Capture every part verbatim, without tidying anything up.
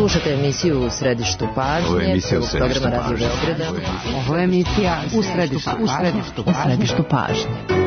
Slušate emisiju U središtu pažnje. Ovo je emisija U središtu pažnje. Ovo je emisija U središtu pažnje. U središtu pažnje.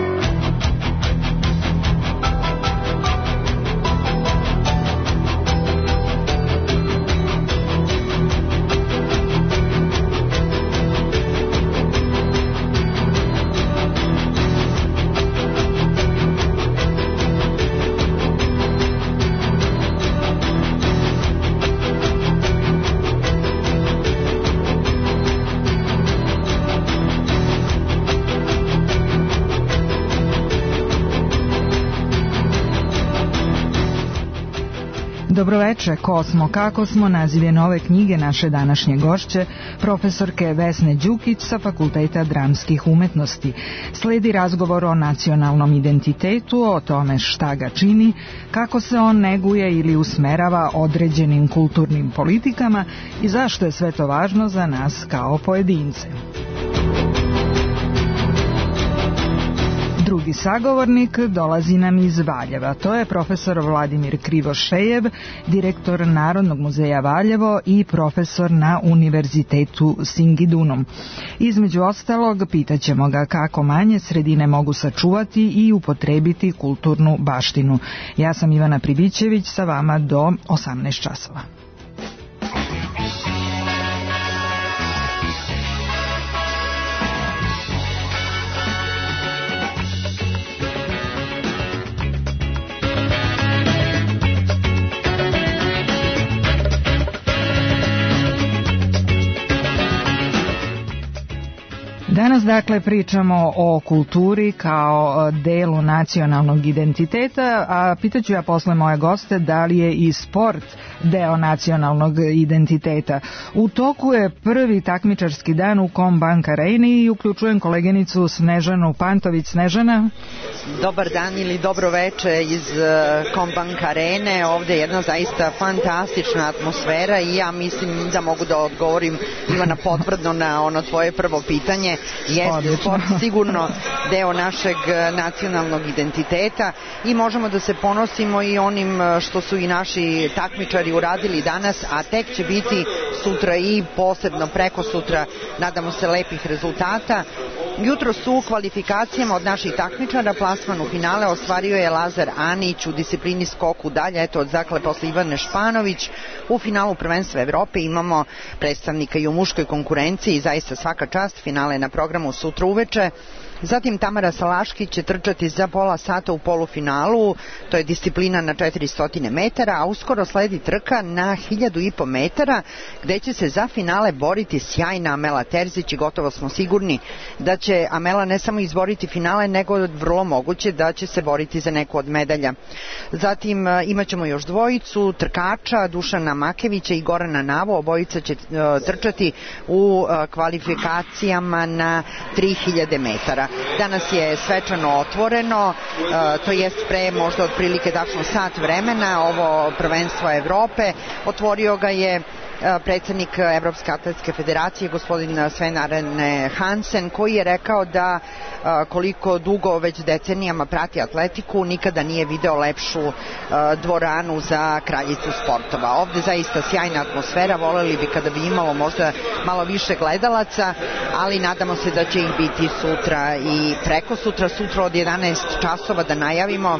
Dobroveče, ko smo, kako smo, naziv je nove knjige naše današnje gošće, profesorke Vesne Đukić sa Fakulteta dramskih umetnosti. Sledi razgovor o nacionalnom identitetu, o tome šta ga čini, kako se on neguje ili usmerava određenim kulturnim politikama i zašto je sve to važno za nas kao pojedince. Drugi sagovornik dolazi nam iz Valjeva. To je profesor Vladimir Krivošejev, direktor Narodnog muzeja Valjevo i profesor na Univerzitetu Singidunum. Između ostalog, pitaćemo ga kako manje sredine mogu sačuvati i upotrebiti kulturnu baštinu. Ja sam Ivana Pribićević, sa vama do osamnaest časova. Danas dakle pričamo o kulturi kao delu nacionalnog identiteta, a pitaću ja posle moje goste da li je i sport deo nacionalnog identiteta. U toku je prvi takmičarski dan u Combank Areni i uključujem koleginicu Snežanu Pantović. Snežana? Dobar dan ili dobro veče iz Combank Arene. Ovde je jedna zaista fantastična atmosfera i ja mislim da mogu da odgovorim, Ivana, potvrdno na ono tvoje prvo pitanje. Jeste sport sigurno deo našeg nacionalnog identiteta i možemo da se ponosimo i onim što su i naši takmičari uradili danas, a tek će biti sutra i posebno preko sutra, nadamo se, lepih rezultata. Jutro su u kvalifikacijama od naših takmičara plasman u finale ostvario je Lazar Anić u disciplini skoku dalje, eto dakle posle Ivane Španović. U finalu prvenstva Evrope imamo predstavnika i u muškoj konkurenciji, zaista svaka čast, finale na programu sutra uveče. Zatim Tamara Salaškić će trčati za pola sata u polufinalu, to je disciplina na četiristo metara, a uskoro sledi trka na hiljadu i po metara, gde će se za finale boriti sjajna Amela Terzić i gotovo smo sigurni da će Amela ne samo izboriti finale, nego vrlo moguće da će se boriti za neku od medalja. Zatim imat ćemo još dvojicu trkača, Dušana Makevića i Gorana Navo, obojica će trčati u kvalifikacijama na tri hiljade metara. Danas je svečano otvoreno, to jest pre možda otprilike tačno sat vremena, ovo prvenstvo Evrope. Otvorio ga je predsednik Evropske atletske federacije, gospodin Sven Arne Hansen, koji je rekao da koliko dugo već decenijama prati atletiku, nikada nije video lepšu dvoranu za kraljicu sportova. Ovde zaista sjajna atmosfera, voleli bi kada bi imalo možda malo više gledalaca, ali nadamo se da će ih biti sutra i preko sutra, sutra od jedanaest časova da najavimo,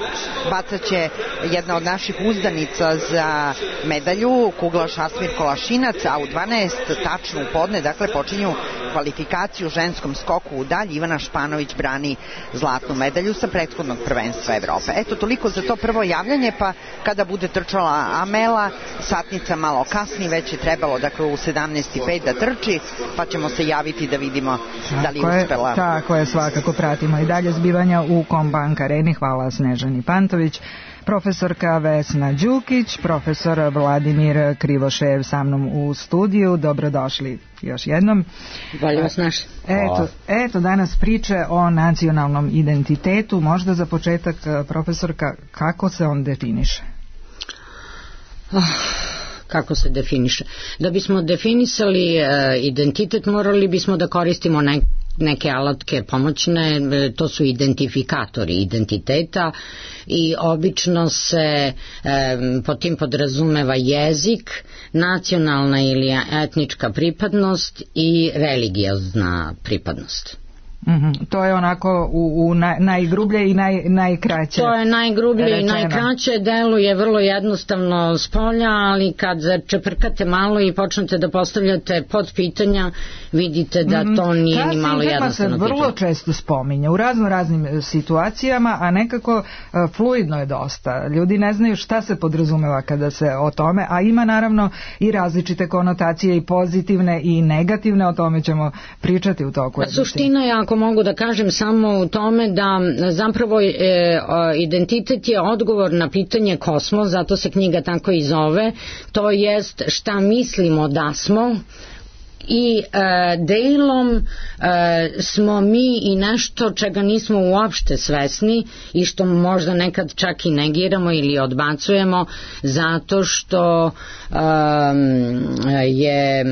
bacat će jedna od naših uzdanica za medalju, kuglaš Asmir Kolašinac, a u dvanaest tačno u podne, dakle počinju kvalifikaciju u ženskom skoku u dalj. Ivana Španović brani zlatnu medalju sa prethodnog prvenstva Evrope. Eto, toliko za to prvo javljanje, pa kada bude trčala Amela, satnica malo kasni, već je trebalo dakle u sedamnaest i pet da trči, pa ćemo se javiti da vidimo da li je uspela. Tako je, svakako pratimo i dalje zbivanja u Combank Areni. Hvala Snežani Pantović. Profesorka Vesna Đukić, profesor Vladimir Krivošejev sa mnom u studiju. Dobrodošli još jednom. Bolje vas naš. Eto, eto, danas priče o nacionalnom identitetu. Možda za početak, profesorka, kako se on definiše? Oh, kako se definiše? Da bismo definisali uh, identitet, morali bismo da koristimo neke neke alatke pomoćne, to su identifikatori identiteta i obično se e, pod tim podrazumeva jezik, nacionalna ili etnička pripadnost i religiozna pripadnost. Mm-hmm. To je onako u, u naj, najgrublje i naj, najkraće. To je najgrublje rečeno. I najkraće, deluje vrlo jednostavno s polja, ali kad čeprkate malo i počnete da postavljate podpitanja, vidite da to nije mm-hmm. ni malo jednostavno. Ta se vrlo često spominje u razno raznim situacijama, a nekako uh, fluidno je dosta. Ljudi ne znaju šta se podrazumeva kada se o tome, a ima naravno i različite konotacije i pozitivne i negativne, o tome ćemo pričati u toku. A suština je, ako mogu da kažem, samo u tome da zapravo e, identitet je odgovor na pitanje kosmos, zato se knjiga tako i zove, to jest šta mislimo da smo i e, delom e, smo mi i nešto čega nismo uopšte svesni i što možda nekad čak i negiramo ili odbacujemo zato što e, je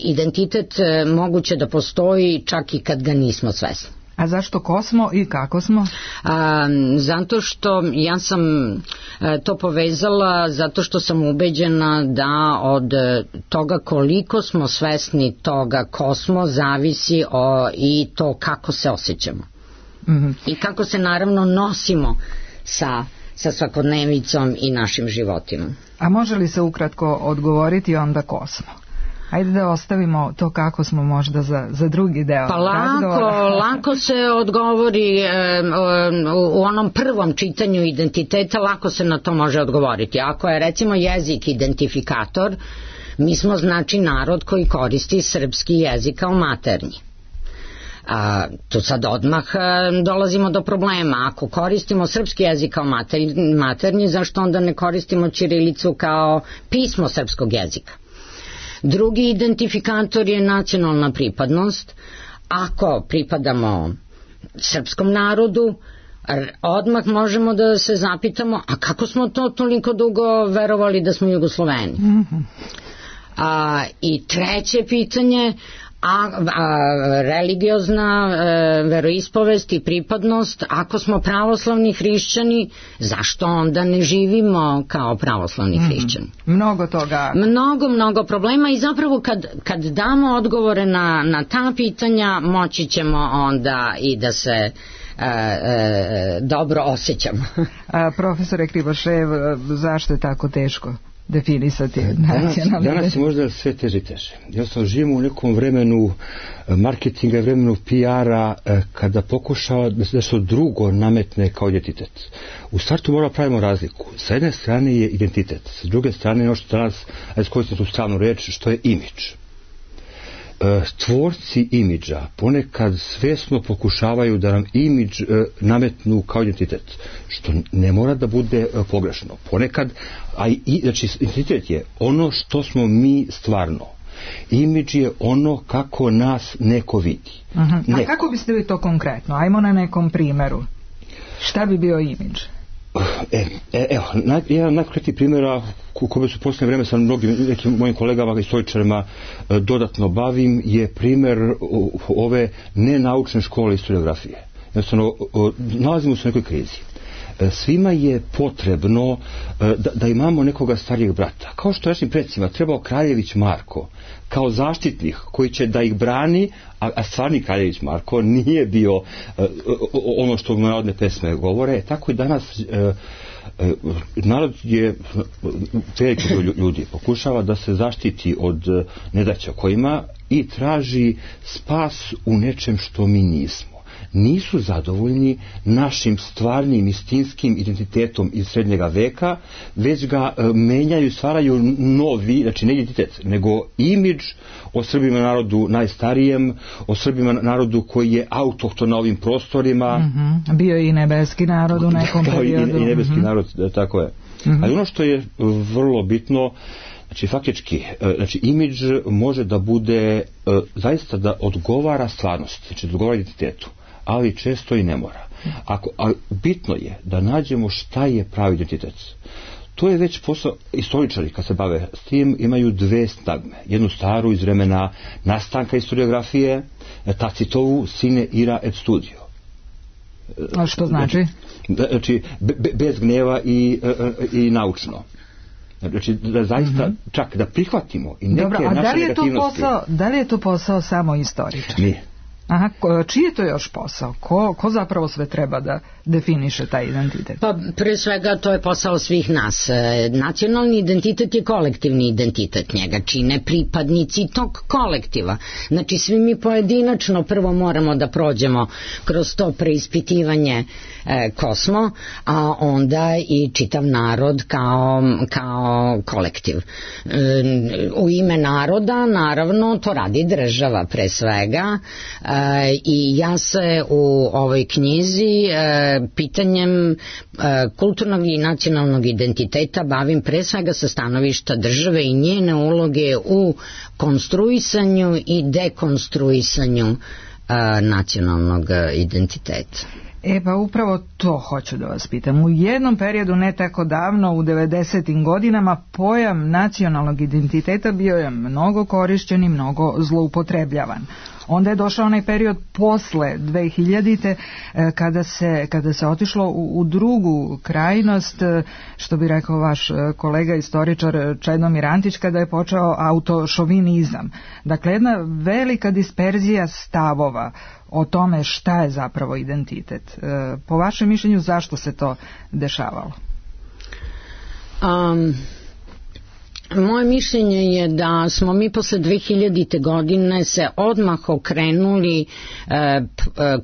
identitet moguće da postoji čak i kad ga nismo svesni. A zašto ko smo i kako smo? A, zato što ja sam a, to povezala zato što sam ubeđena da od toga koliko smo svesni toga ko smo zavisi o, i to kako se osjećamo. Mm-hmm. I kako se naravno nosimo sa, sa svakodnevicom i našim životima. A može li se ukratko odgovoriti onda ko smo? Ajde da ostavimo to kako smo možda za, za drugi deo pa lako, lako se odgovori e, u onom prvom čitanju identiteta, lako se na to može odgovoriti. Ako je recimo jezik identifikator, mi smo znači narod koji koristi srpski jezik kao maternji. A, tu sad odmah a, dolazimo do problema. Ako koristimo srpski jezik kao mater, maternji, zašto onda ne koristimo ćirilicu kao pismo srpskog jezika? Drugi identifikator je nacionalna pripadnost. Ako pripadamo srpskom narodu, odmah možemo da se zapitamo, a kako smo to toliko dugo verovali da smo Jugosloveni? Mm-hmm. A, i treće pitanje, a, a religiozna e, veroispovest i pripadnost, ako smo pravoslavni hrišćani, zašto onda ne živimo kao pravoslavni mm-hmm. hrišćani? Mnogo toga. Mnogo, mnogo problema i zapravo kad, kad damo odgovore na, na ta pitanja, moći ćemo onda i da se e, e, dobro osjećamo. A, profesore Krivošev, zašto je tako teško definisati nacionalni? Danas, danas je možda sve teže i teže. Jednostavno živimo u nekom vremenu marketinga, vremenu P R-a, kada pokušava da se nešto drugo nametne kao identitet. U startu moramo pravimo razliku. Sa jedne strane je identitet, sa druge strane je ono što danas, ajde koristiti tu stranu reč, što je imidž. Tvorci imidža ponekad svesno pokušavaju da nam imidž nametnu kao identitet, što ne mora da bude pogrešno. Ponekad, a i, znači identitet je ono što smo mi stvarno. Imidž je ono kako nas neko vidi. Uh-huh. Neko. A kako biste vi to konkretno? Ajmo na nekom primjeru. Šta bi bio imidž? E, e, evo, naj, jedan najkonkretniji primjera u kome su posljednje vreme sa mnogim nekim mojim kolegama i istoričarima e, dodatno bavim je primjer o, ove nenaučne škole historiografije. Jednostavno, o, nalazimo se u nekoj krizi. E, svima je potrebno e, da, da imamo nekoga starijeg brata. Kao što našim predsima trebao Kraljević Marko kao zaštitnik koji će da ih brani, a, a stvarni Kraljević Marko nije bio e, ono što narodne pesme govore, tako i danas e, e, narod je veliki broj ljudi pokušava da se zaštiti od nedaća kojima i traži spas u nečem što mi nismo. Nisu zadovoljni našim stvarnim istinskim identitetom iz srednjega veka, već ga e, menjaju, stvaraju novi, znači ne identitet, nego imidž o Srbima narodu najstarijem, o Srbima narodu koji je autohton na ovim prostorima. Mm-hmm. Bio je i nebeski narod u nekom periodu. I, i nebeski mm-hmm. narod, tako je. Mm-hmm. Ali ono što je vrlo bitno, znači faktički, znači imidž može da bude zaista da odgovara stvarnosti, znači da odgovara identitetu, ali često i ne mora. Ako, ali bitno je da nađemo šta je pravi identitet. to je već posao, istoričari kad se bave s tim imaju dve stagme. Jednu staru iz vremena nastanka historiografije, Tacitovu Sine ira et studio. A što znači? Znači, be, bez gnjeva i, i naučno. Znači, da zaista, mm-hmm. čak da prihvatimo i neke Dobro, a naše da li je to negativnosti. posao, da li je to posao samo istoričara? Nije. Aha, čiji je to još posao? Ko, ko zapravo sve treba da definiše taj identitet? Pa pre svega to je posao svih nas. E, nacionalni identitet je kolektivni identitet, njega čine pripadnici tog kolektiva. Znači svi mi pojedinačno prvo moramo da prođemo kroz to preispitivanje e, ko smo, a onda i čitav narod kao, kao kolektiv. E, u ime naroda naravno to radi država pre svega, e, i ja se u ovoj knjizi e, pitanjem e, kulturnog i nacionalnog identiteta bavim pre svega sa stanovišta države i njene uloge u konstruisanju i dekonstruisanju e, nacionalnog identiteta. E pa upravo to hoću da vas pitam. U jednom periodu ne tako davno, u devedesetim godinama, pojam nacionalnog identiteta bio je mnogo korišćen i mnogo zloupotrebljavan. Onda je došao onaj period posle dve hiljadite kada se, kada se otišlo u, u drugu krajnost, što bi rekao vaš kolega istoričar Čedomir Antić, kada je počeo autošovinizam. Dakle, jedna velika disperzija stavova o tome šta je zapravo identitet. Po vašem mišljenju, zašto se to dešavalo? Um... Moje mišljenje je da smo mi posle dve hiljadite godine se odmah okrenuli e, p,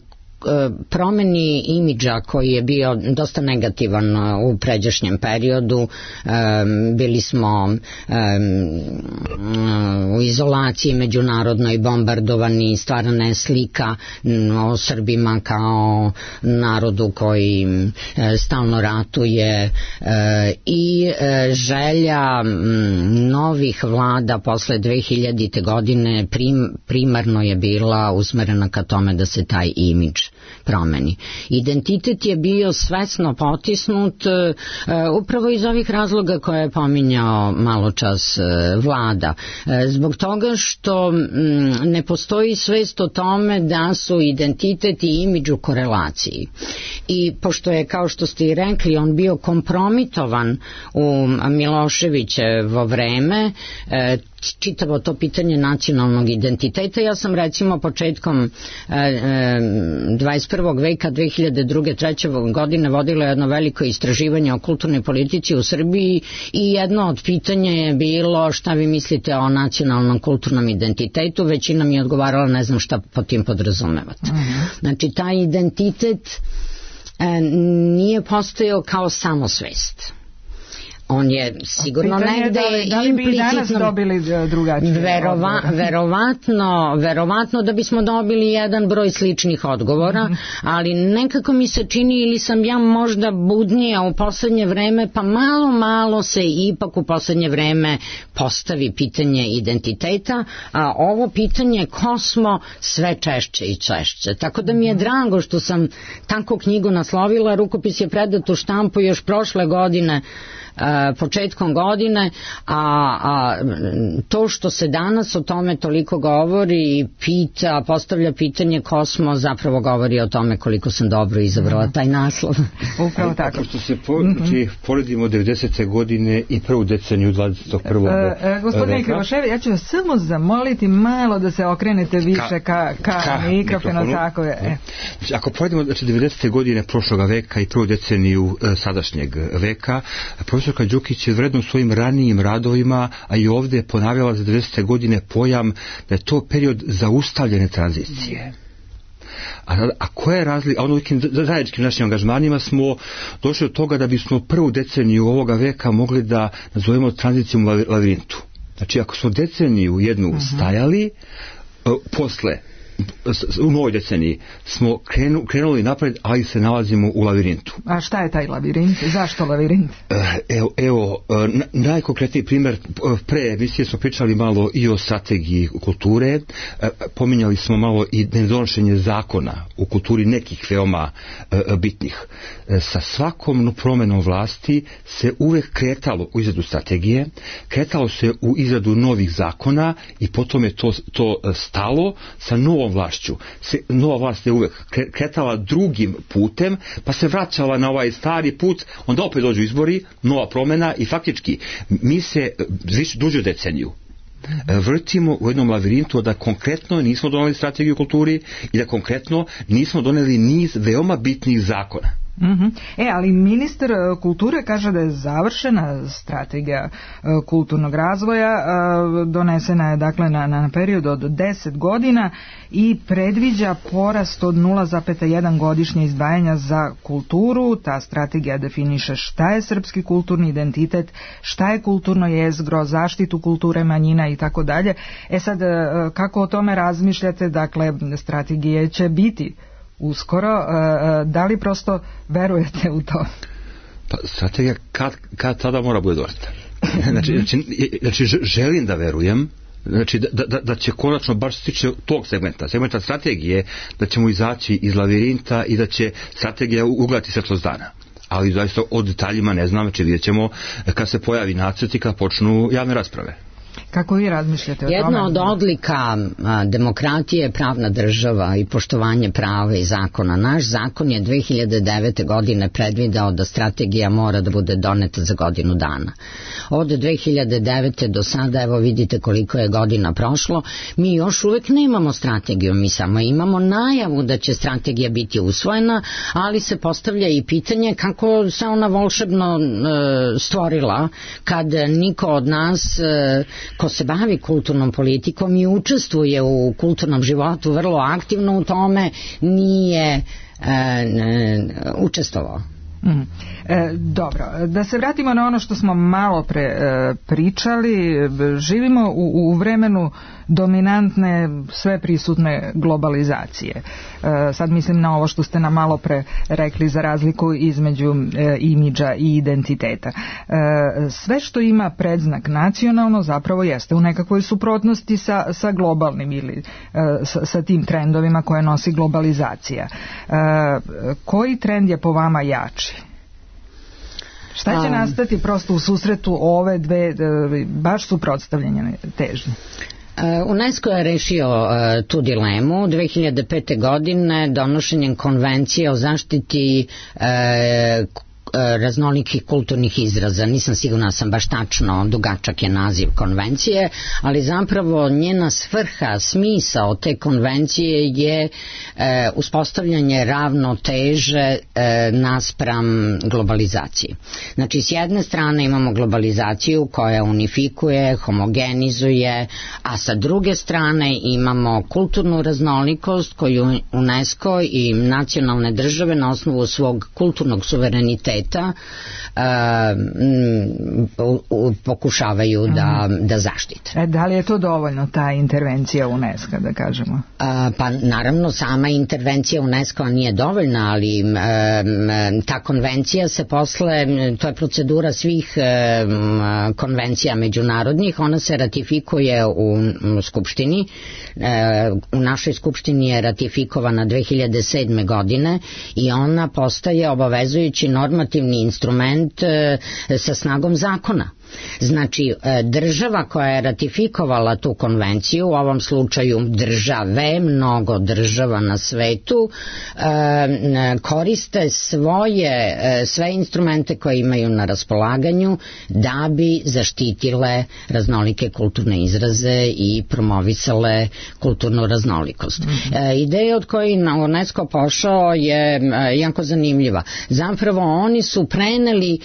promeni imidža koji je bio dosta negativan u pređašnjem periodu. Bili smo u izolaciji međunarodnoj, bombardovani, stvarana je slika o Srbima kao narodu koji stalno ratuje i želja novih vlada posle dve hiljadite godine prim, primarno je bila usmerena ka tome da se taj imidž promeni. Identitet je bio svesno potisnut uh, upravo iz ovih razloga koje je pominjao malo čas uh, vlada. Uh, zbog toga što um, ne postoji svest o tome da su identitet i imidž u korelaciji. I pošto je, kao što ste i rekli, on bio kompromitovan u Miloševićevo vreme, uh, čitavo to pitanje nacionalnog identiteta. Ja sam recimo početkom e, e, dvadeset prvog veka dve hiljade druge treće godine vodila jedno veliko istraživanje o kulturnoj politici u Srbiji i jedno od pitanja je bilo šta vi mislite o nacionalnom kulturnom identitetu. Većina mi je odgovarala ne znam šta po tim podrazumevate. Uh-huh. Znači taj identitet e, nije postojao kao samosvest. On je sigurno negde da li, da li bi danas dobili drugačije verova, verovatno, verovatno da bismo dobili jedan broj sličnih odgovora, mm-hmm. ali nekako mi se čini ili sam ja možda budnija u poslednje vreme, pa malo malo se ipak u poslednje vreme postavi pitanje identiteta, a ovo pitanje ko smo sve češće i češće. Tako da mi je drago što sam tako knjigu naslovila, rukopis je predat u štampu još prošle godine, Uh, početkom godine, a, a to što se danas o tome toliko govori i pita, postavlja pitanje ko smo, zapravo govori o tome koliko sam dobro izabrala taj naslov. Upravo tako. Što se po, mm-hmm. poredimo devedesete godine i prvu deceniju dvadeset prvog Uh, uh, gospodine Krivoševi, ja ću vas samo zamoliti malo da se okrenete više ka, ka, ka mikrofonu, tako je. E. Znači, ako poredimo znači, devedesete godine prošloga veka i prvu deceniju uh, sadašnjeg veka, profesorka Đukić je vredno svojim ranijim radovima, a i ovdje je ponavljala za devedesete godine pojam da je to period zaustavljene tranzicije. A, a koja je razlika? A ono nekim zajedničkim našim angažmanima smo došli do toga da bismo prvu deceniju ovoga veka mogli da nazovemo tranzicijom lavirintu. Znači, ako smo deceniju jednu stajali, uh, posle u novoj deceniji smo krenu, krenuli napred, ali se nalazimo u lavirintu. A šta je taj lavirint? Zašto lavirint? Evo, evo najkonkretniji primjer, pre emisije smo pričali malo i o strategiji kulture, pominjali smo malo i nedonošenje zakona u kulturi nekih veoma bitnih. Sa svakom promenom vlasti se uvek kretalo u izradu strategije, kretalo se u izradu novih zakona i potom je to, to stalo sa novom vlašću. Se, nova vlast je uvek kretala drugim putem, pa se vraćala na ovaj stari put, onda opet dođu izbori, nova promjena i faktički mi se više dužu deceniju vrtimo u jednom lavirintu da konkretno nismo doneli strategiju kulturi i da konkretno nismo doneli niz veoma bitnih zakona. Mm-hmm. E, ali ministar kulture kaže da je završena strategija kulturnog razvoja, donesena je dakle na, na period od deset godina i predviđa porast od nula zarez jedan godišnje izdvajanja za kulturu. Ta strategija definiše šta je srpski kulturni identitet, šta je kulturno jezgro, zaštitu kulture manjina i tako dalje. E sad, kako o tome razmišljate? Dakle, strategije će biti uskoro, da li prosto verujete u to? Pa strategija kad, kad tada mora bude doneta. Znači, znači, znači želim da verujem, znači da, da, da će konačno baš stići tog segmenta, segmenta strategije, da ćemo izaći iz lavirinta i da će strategija ugledati svetlost dana. Ali zaista o detaljima ne znam, znači vidjet ćemo kad se pojavi nacrt i kad počnu javne rasprave. Kako vi razmišljate o tome? Jedna od odlika a, demokratije je pravna država i poštovanje prava i zakona. Naš zakon je dve hiljade devete. godine predvideo da strategija mora da bude doneta za godinu dana. Od dve hiljade devete. do sada, evo vidite koliko je godina prošlo, mi još uvek nemamo strategiju, mi samo imamo najavu da će strategija biti usvojena, ali se postavlja i pitanje kako se ona volšebno e, stvorila kad niko od nas e, ko se bavi kulturnom politikom i učestvuje u kulturnom životu vrlo aktivno u tome, nije e, e, učestvovao. Mm. E, dobro, da se vratimo na ono što smo malo pre e, pričali. Živimo u, u vremenu dominantne, sve prisutne globalizacije. E, sad mislim na ovo što ste nam malo pre rekli za razliku između e, imidža i identiteta. E, sve što ima predznak nacionalno zapravo jeste u nekakvoj suprotnosti sa, sa globalnim ili e, sa, sa tim trendovima koje nosi globalizacija. E, koji trend je po vama jači? Šta će nastati prosto u susretu ove dve baš suprotstavljene težnje? UNESCO je rešio uh, tu dilemu dve hiljade pete. godine donošenjem konvencije o zaštiti uh, raznolikih kulturnih izraza. Nisam sigurna sam baš tačno, dugačak je naziv konvencije, ali zapravo njena svrha, smisao te konvencije je e, uspostavljanje ravnoteže e, naspram globalizaciji. Znači, s jedne strane imamo globalizaciju koja unifikuje, homogenizuje, a sa druge strane imamo kulturnu raznolikost koju UNESCO i nacionalne države na osnovu svog kulturnog suvereniteta Uh, m, pokušavaju da, da zaštite. E, da li je to dovoljno, ta intervencija UNESCO, da kažemo? Uh, pa naravno, sama intervencija UNESCO nije dovoljna, ali um, ta konvencija se posle, to je procedura svih um, konvencija međunarodnih, ona se ratifikuje u um, Skupštini. Uh, u našoj Skupštini je ratifikovana dve hiljade sedme. godine i ona postaje obavezujući normativni instrument e, sa snagom zakona. Znači, država koja je ratifikovala tu konvenciju, u ovom slučaju države, mnogo država na svetu, koriste svoje, sve instrumente koje imaju na raspolaganju da bi zaštitile raznolike kulturne izraze i promovisale kulturnu raznolikost. Mm-hmm. Ideja od koje UNESCO pošao je jako zanimljiva. Zapravo oni su preneli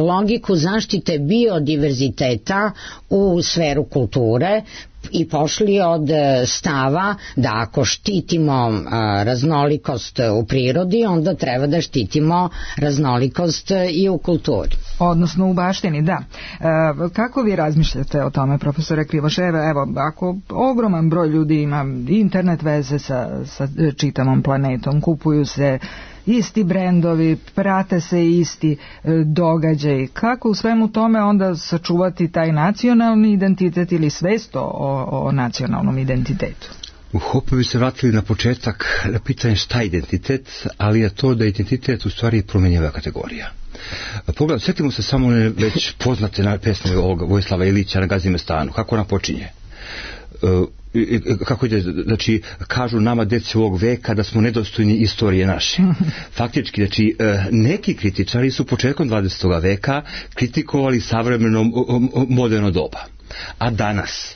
logiku zaštite biodiverziteta u sferu kulture i pošli od stava da ako štitimo raznolikost u prirodi, onda treba da štitimo raznolikost i u kulturi. Odnosno u baštini, da. E, kako vi razmišljate o tome, profesore Krivoševe? Evo, ako ogroman broj ljudi ima internet veze sa, sa čitavom planetom, kupuju se isti brendovi, prate se isti e, događaji, kako u svemu tome onda sačuvati taj nacionalni identitet ili svest o, o nacionalnom identitetu? U Hopu bi se vratili na početak na pitanje šta je identitet, ali je to da je identitet u stvari promenjiva kategorija. Pogledaj, sjetimo se samo one već poznate na pesme ovoga Vojislava Ilića na Gazimestanu. Kako ona počinje? Uh, kako ide, znači, kažu nama deci ovog veka da smo nedostojni istorije naše. Faktički, znači, neki kritičari su početkom dvadesetog veka kritikovali savremeno moderno doba. A danas,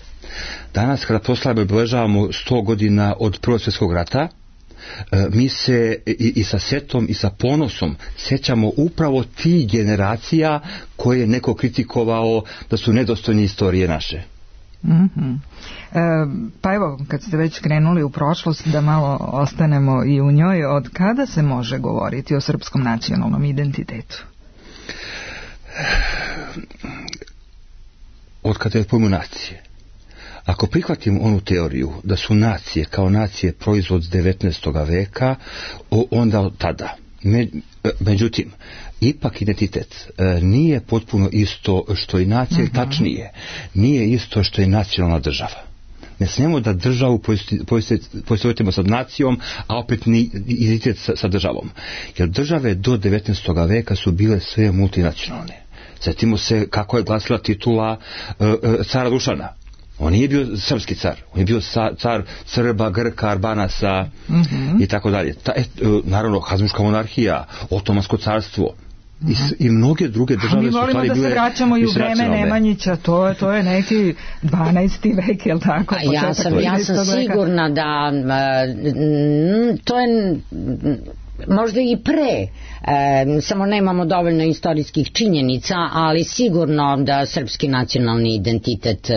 danas kada proslavimo i obeležavamo sto godina od Prvog svjetskog rata, mi se i, i sa setom i sa ponosom sjećamo upravo tih generacija koje je neko kritikovao da su nedostojni istorije naše. Mm-hmm. E, pa evo, kad ste već krenuli u prošlost, da malo ostanemo i u njoj, od kada se može govoriti o srpskom nacionalnom identitetu? Od kada je pojmu nacije. Ako prihvatimo onu teoriju da su nacije kao nacije proizvod devetnaestog veka, onda od tada. Međutim, ipak identitet nije potpuno isto što i nacija, uh-huh. tačnije, nije isto što i nacionalna država. Ne smijemo da državu poistovjetimo sa nacijom, a opet ni identitet sa, sa državom. Jer države do devetnaestog veka su bile sve multinacionalne. Sjetimo se kako je glasila titula uh, uh, cara Dušana. On nije bio srpski car, on je bio car Srba, Grka, Arbanaca mm-hmm. i tako dalje. Ta, et, naravno, Habsburška monarhija, Otomansko carstvo mm-hmm. i, i mnoge druge države su stvari bile... Mi volimo da se vraćamo i u vreme Nemanjića, to je, to je neki dvanaesti vek, je li tako? Ja sam, ja sam sigurna da uh, to je... možda i pre, e, samo nemamo dovoljno istorijskih činjenica, ali sigurno da srpski nacionalni identitet e,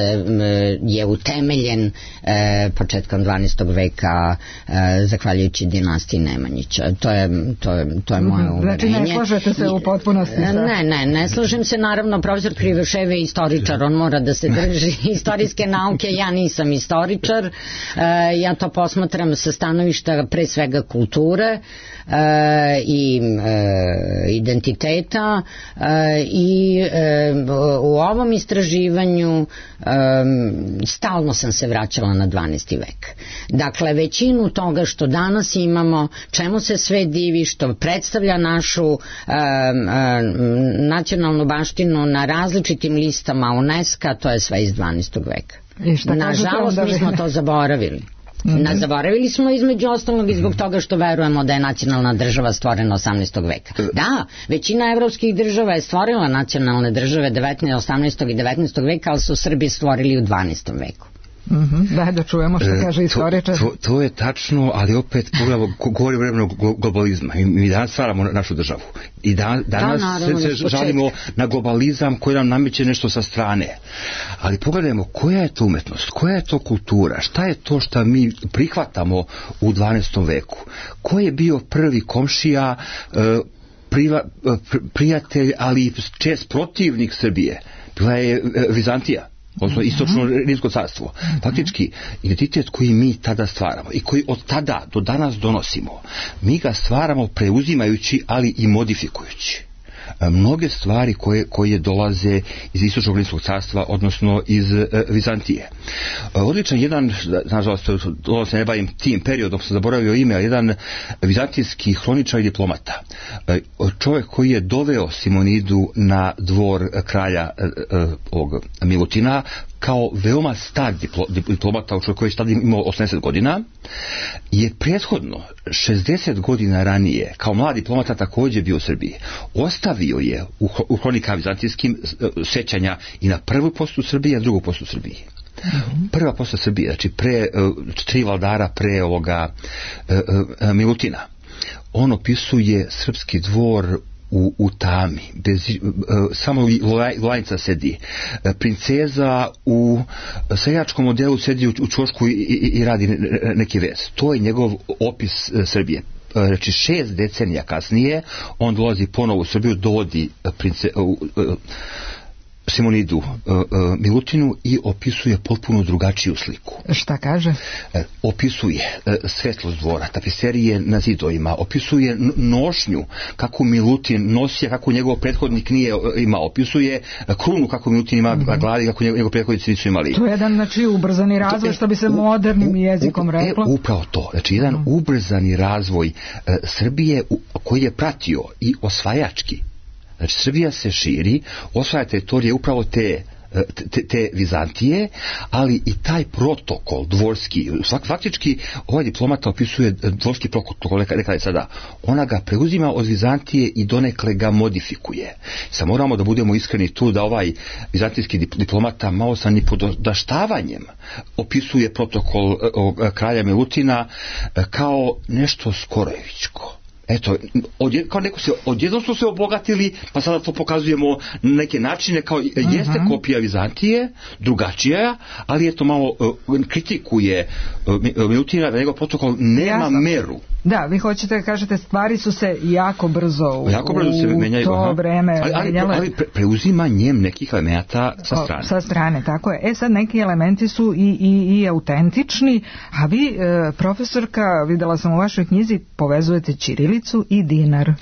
je utemeljen e, početkom dvanaestog veka e, zahvaljujući dinastiji Nemanjića. To je, to je, to je moje uverenje. Znači ne slažete se u potpunosti sa... Ne, ne, ne slažem se. Naravno, profesor Krivošev je istoričar, on mora da se drži istorijske nauke, ja nisam istoričar, e, ja to posmatram sa stanovišta pre svega kulture, E, i e, identiteta e, i e, u ovom istraživanju e, stalno sam se vraćala na dvanaesti vek. Dakle, većinu toga što danas imamo, čemu se sve divi, što predstavlja našu e, e, nacionalnu baštinu na različitim listama UNESCO, to je sve iz dvanaestog veka. Nažalost, mi smo to zaboravili. Mm-hmm. Zaboravili smo između ostalog i zbog toga što verujemo da je nacionalna država stvorena osamnaestog veka. Da, većina evropskih država je stvorila nacionalne države devetnaestog, osamnaestog i devetnaestog veka, ali su Srbi stvorili u dvanaestom veku. Mm-hmm. Da, da čujemo što kaže istoričar. To, to, to je tačno, ali opet pogledamo, govori o vremenu globalizma. Mi, mi danas stvaramo našu državu. I da, danas da, naravno, se, se žalimo na globalizam koji nam nameće nešto sa strane. Ali pogledajmo koja je to umetnost, koja je to kultura, šta je to što mi prihvatamo u dvanaestom veku. Ko je bio prvi komšija, priva, prijatelj, ali čest protivnik Srbije? Bila je Vizantija. Odnosno istočno rimsko carstvo. Faktički, identitet koji mi tada stvaramo i koji od tada do danas donosimo, mi ga stvaramo preuzimajući, ali i modifikujući mnoge stvari koje, koje dolaze iz istočnog rimskog carstva, odnosno iz e, Vizantije. E, odličan jedan, nažalost, ovo se ne bavim tim periodom, sam zaboravio ime, jedan vizantijski hroničar i diplomata. E, čovjek koji je doveo Simonidu na dvor kralja e, e, ovog Milutina, kao veoma star diplo, diplomata, čovjek koji je tada imao osamdeset godina, je prethodno šezdeset godina ranije kao mlad diplomata također bio u Srbiji. Ostavio je u, u hronika vizantijskim sećanja i na prvu postu Srbije, a drugu postu Srbiji. Mm-hmm. Prva posta Srbije, znači pre tri vladara pre ovoga uh, uh, Milutina. On opisuje srpski dvor U, u tami, bez, uh, samo lajnca sedi. Uh, princeza u seljačkom modelu sedi u, u čošku i, i, i radi neki vez. To je njegov opis uh, Srbije. znači šest decenija kasnije on dolazi ponovo u Srbiju, dovodi prince, uh, uh, Simonidu uh, uh, Milutinu i opisuje potpuno drugačiju sliku. Šta kaže? Uh, opisuje uh, svetlost dvora, tapiserije na zidovima, opisuje nošnju kako Milutin nosi, kako njegov prethodnik nije uh, imao, opisuje uh, krunu kako Milutin ima mm-hmm. na glavi, kako njegov, njegov prethodnici nisu imali. To je jedan, znači, ubrzani razvoj, što bi se modernim u, jezikom u, reklo. E, upravo to, znači jedan mm. ubrzani razvoj uh, Srbije u, koji je pratio i osvajački. Znači, Srbija se širi, osvaja teritorije upravo te, te, te Vizantije, ali i taj protokol dvorski, faktički ovaj diplomata opisuje dvorski protokol, rekla je sada, ona ga preuzima od Vizantije i donekle ga modifikuje. Sad moramo da budemo iskreni tu da ovaj vizantijski diplomata malo sa nipodaštavanjem opisuje protokol kralja Milutina kao nešto skorojevičko. Eto, odjed, kao neko se, odjednom su se obogatili, pa sada to pokazujemo na neke načine, kao jeste uh-huh. kopija Vizantije, drugačija, ali eto malo uh, kritikuje uh, Milutina da njegov protokol nema Jasno. meru. Da, vi hoćete da kažete, stvari su se jako brzo u, jako brzo se menjaju, to aha. vreme ali, ali, ali pre, preuzimanjem nekih elemenata sa strane. O, sa strane, tako je. E sad, neki elementi su i, i, i autentični, a vi, e, profesorka, videla sam u vašoj knjizi, povezujete ćirilicu i dinar.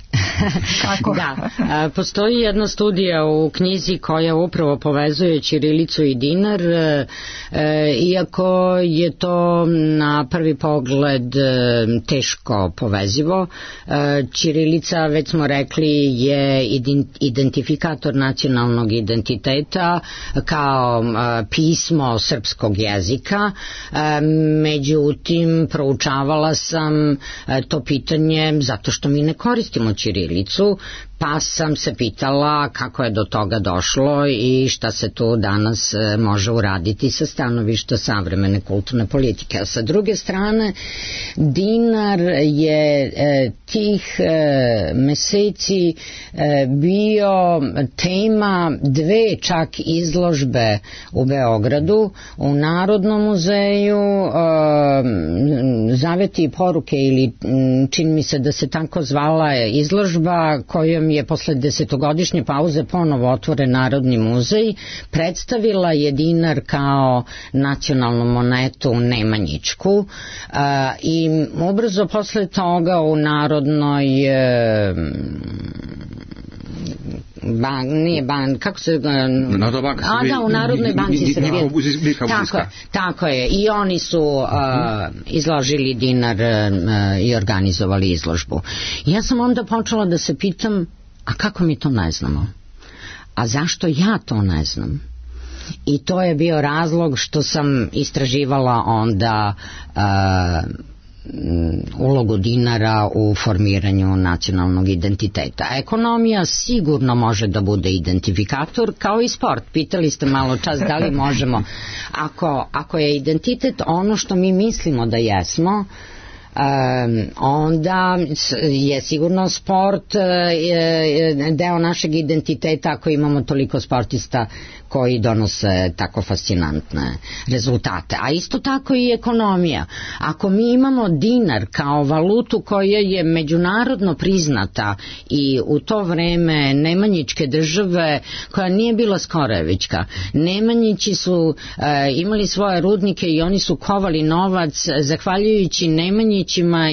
Kako? Da, a, postoji jedna studija u knjizi koja upravo povezuje ćirilicu i dinar, e, e, iako je to na prvi pogled e, teško povezivo. Ćirilica, već smo rekli, je identifikator nacionalnog identiteta kao pismo srpskog jezika. Međutim, proučavala sam to pitanje zato što mi ne koristimo ćirilicu, pa sam se pitala kako je do toga došlo i šta se tu danas može uraditi sa stanovišta savremene kulturne politike. A sa druge strane, dinar je e, tih e, meseci e, bio tema dve čak izložbe u Beogradu, u Narodnom muzeju, e, Zaveti i poruke, ili čini mi se da se tako zvala izložba, kojom je posle desetogodišnje pauze ponovo otvoren Narodni muzej, predstavila je dinar kao nacionalnu monetu nemanjičku, a, i ubrzo posle toga u Narodnoj e, bank, nije bank, kako se... Narodna banka A da, u Narodnoj banci Srbije. Tako, tako je. I oni su uh, izložili dinar uh, i organizovali izložbu. Ja sam onda počela da se pitam, a kako mi to ne znamo? A zašto ja to ne znam? I to je bio razlog što sam istraživala onda uh, ulogu dinara u formiranju nacionalnog identiteta. Ekonomija sigurno može da bude identifikator, kao i sport. Pitali ste malo čas da li možemo. Ako, ako je identitet ono što mi mislimo da jesmo, Um, onda je sigurno sport uh, deo našeg identiteta ako imamo toliko sportista koji donose tako fascinantne rezultate. A isto tako i ekonomija. Ako mi imamo dinar kao valutu koja je međunarodno priznata i u to vreme nemanjičke države, koja nije bila skorojevička, Nemanjići su uh, imali svoje rudnike i oni su kovali novac zahvaljujući Nemanjići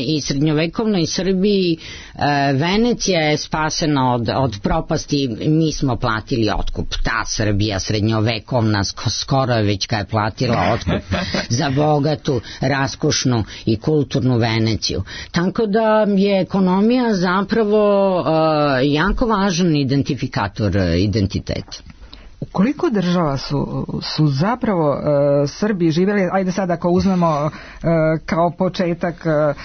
i srednjovekovnoj Srbiji. e, Venecija je spasena od, od propasti, mi smo platili otkup. Ta Srbija srednjovekovna, skorojevička, je platila otkup za bogatu, raskošnu i kulturnu Veneciju. Tako da je ekonomija zapravo e, jako važan identifikator identiteta. U koliko država su, su zapravo uh, Srbi živjeli, ajde sad ako uzmemo uh, kao početak uh,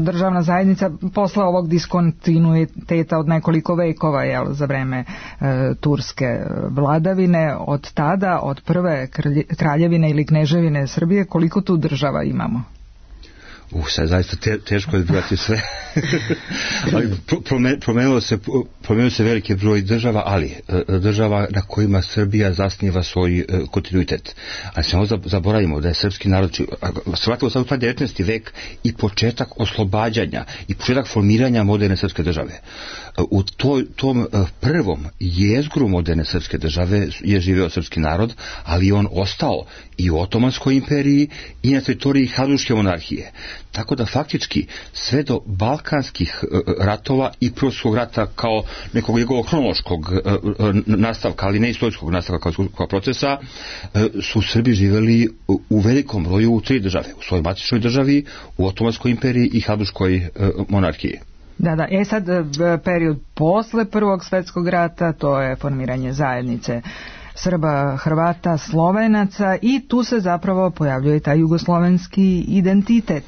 državna zajednica posle ovog diskontinuiteta od nekoliko vekova, jel, za vreme uh, turske vladavine, od tada, od prve kraljevine ili kneževine Srbije, koliko tu država imamo? Uh, sad zaista te, teško je zbrojati sve. Ali promenilo se, promenilo se veliki broj država, ali država na kojima Srbija zasniva svoj kontinuitet. A samo zaboravimo da je srpski narod, shvatilo sad u taj devetnaesti vek i početak oslobađanja i početak formiranja moderne srpske države. U toj, tom prvom jezgru moderne srpske države je živeo srpski narod, ali on ostao i u Otomanskoj imperiji i na teritoriji Habsburške monarhije. Tako da faktički sve do balkanskih ratova i Prvog svjetskog rata kao nekog njegovog hronološkog nastavka, ali ne istorijskog nastavka kao, kao procesa, su Srbi živjeli u velikom broju u tri države. U svojoj matičnoj državi, u Otomanskoj imperiji i Habsburškoj monarhiji. Da, da. E sad, period posle Prvog svjetskog rata, to je formiranje zajednice Srba, Hrvata, Slovenaca i tu se zapravo pojavljuje taj jugoslovenski identitet.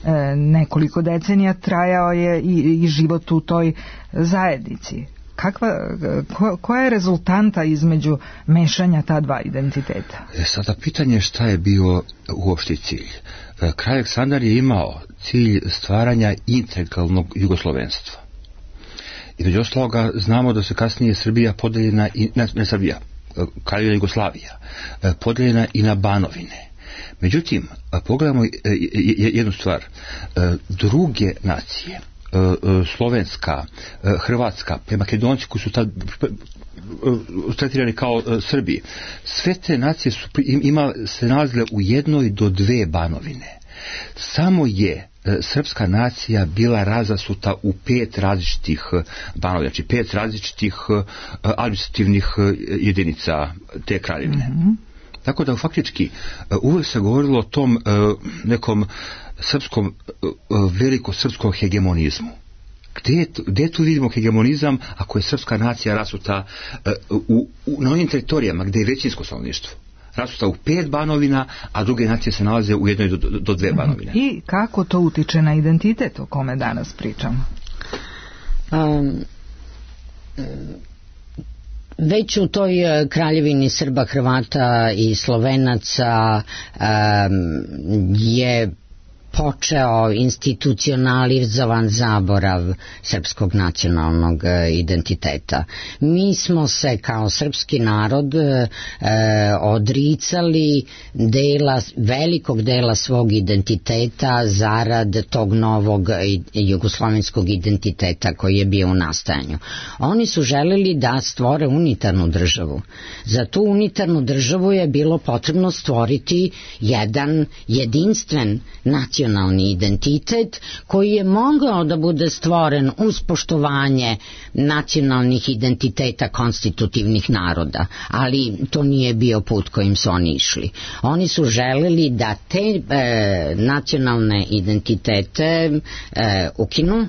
E, nekoliko decenija trajao je i, i život u toj zajednici. Kakva, ko, koja je rezultanta između mešanja ta dva identiteta? E, sada pitanje je šta je bio uopšte cilj. E, Kralj Aleksandar je imao cilj stvaranja integralnog jugoslovenstva. I među ostaloga znamo da se kasnije Srbija podeljena, i, ne, ne Srbija, Kraljevina Jugoslavija, podeljena i na banovine. Međutim, pogledamo jednu stvar. Druge nacije, slovenska, hrvatska, Makedonci koji su tad tretirani kao Srbi, sve te nacije su imale, se nalazile u jednoj do dve banovine. Samo je srpska nacija bila razasuta u pet različitih banovina, znači pet različitih administrativnih jedinica te kraljevine. Mm-hmm. Tako da faktički uvek se govorilo o tom nekom srpskom, veliko srpskom hegemonizmu. Gde, gde tu vidimo hegemonizam ako je srpska nacija rasuta u, u, na onim teritorijama gde je većinsko stanovništvo? Rasuta u pet banovina, a druge nacije se nalaze u jednoj do, do dve banovine. I kako to utiče na identitet o kome danas pričamo? Um, već u toj kraljevini Srba, Hrvata i Slovenaca um, je počeo institucionalizovan zaborav srpskog nacionalnog identiteta. Mi smo se kao srpski narod e, odricali dela, velikog dela svog identiteta zarad tog novog jugoslovenskog identiteta koji je bio u nastajanju. Oni su želeli da stvore unitarnu državu. Za tu unitarnu državu je bilo potrebno stvoriti jedan jedinstven nacionalni nacionalni identitet koji je mogao da bude stvoren uz poštovanje nacionalnih identiteta konstitutivnih naroda, ali to nije bio put kojim su oni išli. Oni su želeli da te e, nacionalne identitete e, ukinu,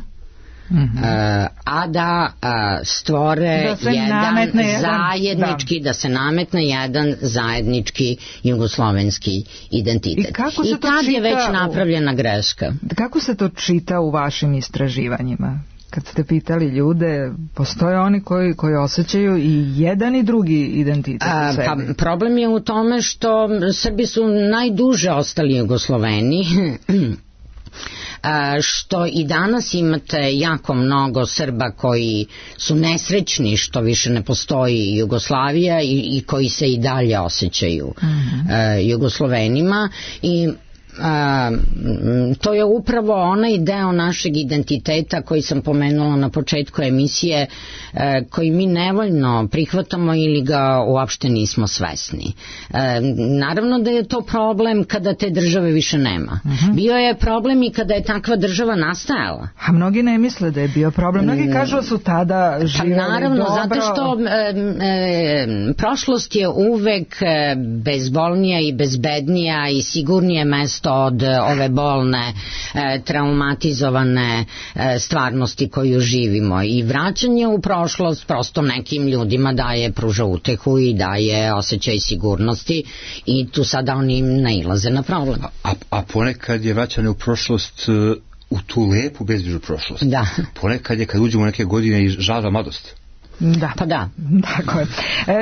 Mm-hmm. Uh, a da uh, stvore da jedan zajednički, da. da se nametne jedan zajednički jugoslovenski identitet. I, kako I tad je već napravljena greška. Kako se to čita u vašim istraživanjima? Kad ste pitali ljude, postoje oni koji, koji osjećaju i jedan i drugi identitet u sebi? Pa, problem je u tome što Srbi su najduže ostali Jugosloveni, što i danas imate jako mnogo Srba koji su nesrećni što više ne postoji Jugoslavija i, i koji se i dalje osjećaju mm-hmm. uh, Jugoslovenima i A, to je upravo onaj deo našeg identiteta koji sam pomenula na početku emisije, e, koji mi nevoljno prihvatamo ili ga uopšte nismo svesni. E, naravno da je to problem kada te države više nema. Uh-huh. Bio je problem i kada je takva država nastajala. A mnogi ne misle da je bio problem. Mnogi kažu da su tada živjeli pa naravno, dobro. Zato što e, e, prošlost je uvek bezbolnija i bezbednija i sigurnije mesto od ove bolne, e, traumatizovane e, stvarnosti koju živimo i vraćanje u prošlost prosto nekim ljudima daje, pruža utehu i daje osjećaj sigurnosti i tu sada oni nailaze na problem. A, a ponekad je vraćanje u prošlost u tu lepu bezbrižnu prošlost. Da. Ponekad je kad uđemo neke godine i žal za mladost. Da. Pa da. Tako je.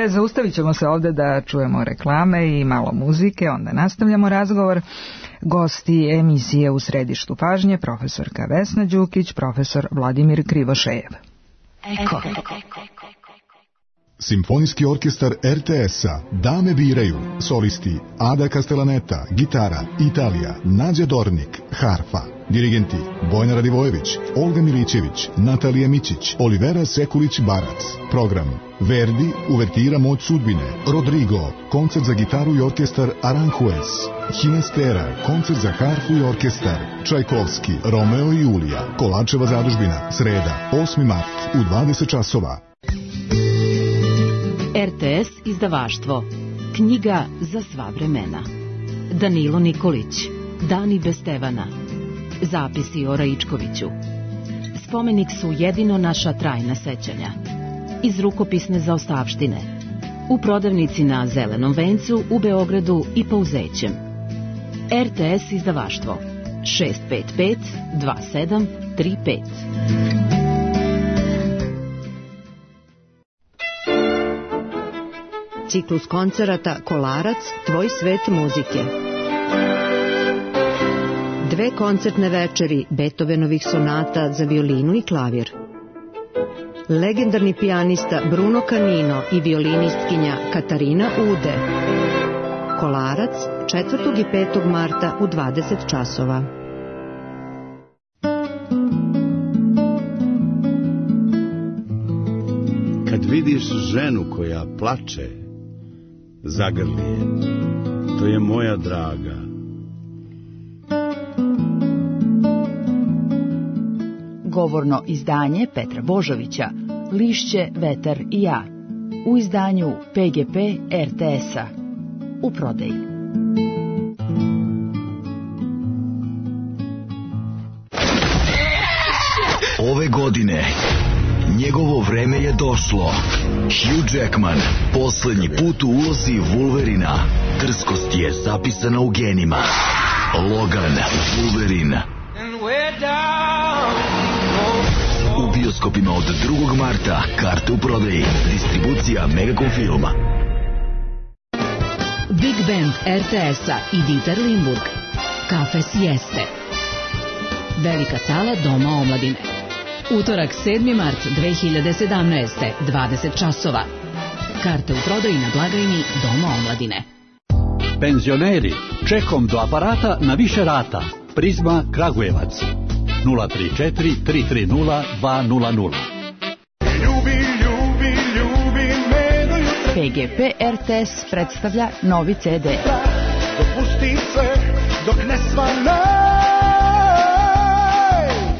E, zaustavit ćemo se ovde da čujemo reklame i malo muzike, onda nastavljamo razgovor. Gosti emisije U središtu pažnje profesorka Vesna Đukić, profesor Vladimir Krivošejev. Eko. Simfonijski orkestar er te es-a Dame biraju, solisti Ada Castellaneta, gitara, Italija, Nađa Dornik, harfa, dirigenti Bojana Radivojević, Olga Milićević, Natalija Mićić, Olivera Sekulić-Barac. Program: Verdi, uvertira Moć sudbine, Rodrigo, koncert za gitaru i orkestar Aranjuez, Hinestera, koncert za harfu i orkestar, Čajkovski, Romeo i Julija, Kolačeva zadužbina, sreda, osmi mart u dvadeset časova. er te es izdavaštvo. Knjiga za sva vremena. Danilo Nikolić. Dani bez Stevana. Zapisi o Raičkoviću. Spomenik su jedino naša trajna sećanja. Iz rukopisne zaostavštine. U prodavnici na Zelenom vencu u Beogradu i Pauzećem. er te es izdavaštvo. šest pet pet dva sedam tri pet. Ciklus koncerata Kolarac, tvoj svet muzike. Dve koncertne večeri Beethovenovih sonata za violinu i klavir. Legendarni pijanista Bruno Canino i violinistkinja Katarina Ude. Kolarac, četvrtog i petog marta u dvadeset časova. Kad vidiš ženu koja plače, zagrli je. To je moja draga. Govorno izdanje Petra Božovića, Lišće, vetar i ja. U izdanju pe ge pe er te es-a. U prodaji. Ove godine njegovo vreme je došlo. Hugh Jackman poslednji put u ulozi Wolverina. Drskost je zapisana u genima. Logan, Wolverine. U bioskopima od drugog marta. Karte u prodaji. Distribucija Megacom filma. Big Band er te es-a i Dieter Limburg. Kafe Sieste. Velika sala Doma omladine. Utorak sedmi mart dve hiljade sedamnaeste. dvadeset časova. Karte u prodaji na blagajni Doma omladine. Penzioneri, čekom do aparata na više rata. Prizma Kragujevac. nula tri četiri tri tri nula dva nula nula. Ljubi, ljubi, ljubi me do jutra. pe ge pe er te es predstavlja novi ce de. Dopusti se dok ne svane.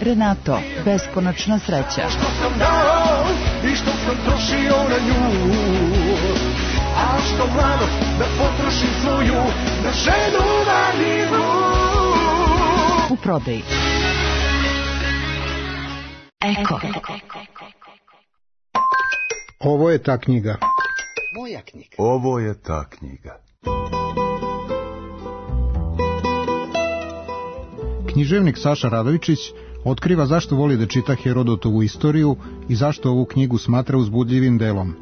Renato, beskonačna sreća. Što sam dao i što sam trošio na nju. A što mladost da potrošim svoju na ženu vaninu. U prodaji. Eko. Ovo je ta knjiga. Moja knjiga. Ovo je ta knjiga. Književnik Saša Radovičić otkriva zašto voli da čita Herodotovu istoriju i zašto ovu knjigu smatra uzbudljivim delom.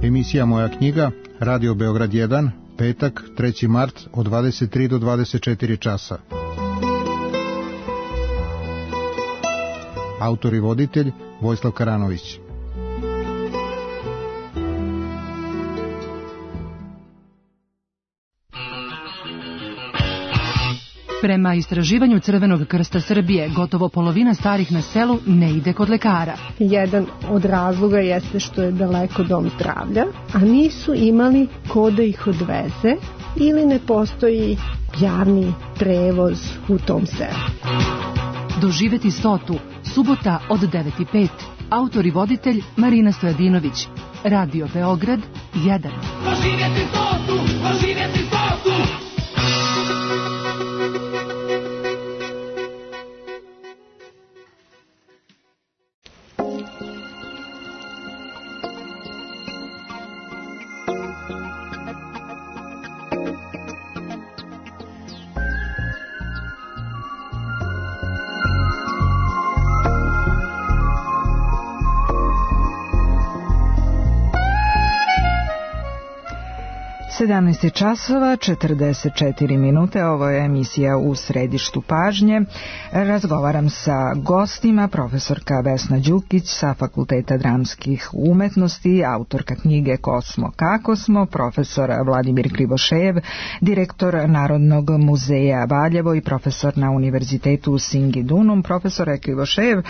Emisija Moja knjiga, Radio Beograd jedan, petak, treći mart, od dvadeset tri do dvadeset četiri časa. Autor i voditelj Vojislav Karanović. Prema istraživanju Crvenog krsta Srbije, gotovo polovina starih na selu ne ide kod lekara. Jedan od razloga jeste što je daleko dom zdravlja, a nisu imali ko da ih odveze ili ne postoji javni prevoz u tom selu. Doživeti stotu, subota od devet i pet. Autor i voditelj Marina Stojadinović. Radio Beograd jedan. Doživjeti stotu, doživjeti stotu. sedamnaest časova četrdeset četiri minute, ovo je emisija U središtu pažnje. Razgovaram sa gostima, profesorka Vesna Đukić sa Fakulteta dramskih umetnosti, autorka knjige Ko smo, kako smo, profesor Vladimir Krivošejev, direktor Narodnog muzeja Valjevo i profesor na Univerzitetu u Singidunum. Profesore Krivošejev,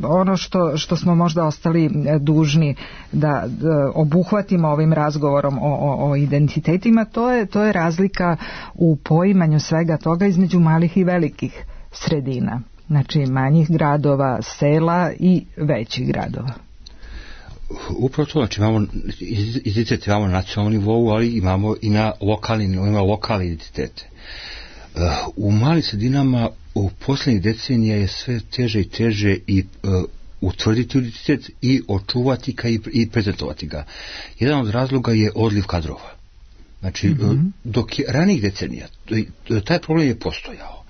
ono što, što smo možda ostali dužni da, da obuhvatimo ovim razgovorom o, o, o identitetima, to je, to je razlika u poimanju svega toga između malih i velikih sredina, znači manjih gradova, sela i većih gradova. Upravo to, znači imamo identitet, imamo na nacionalnom nivou, ali imamo i na lokalni, imamo lokalne identitete. U malim sredinama u posljednjih decenija je sve teže i teže i uh, utvrditi identitet i očuvati ga i, i prezentovati ga. Jedan od razloga je odliv kadrova. Znači, mm-hmm. dok je ranijih decenija, taj problem je postojao.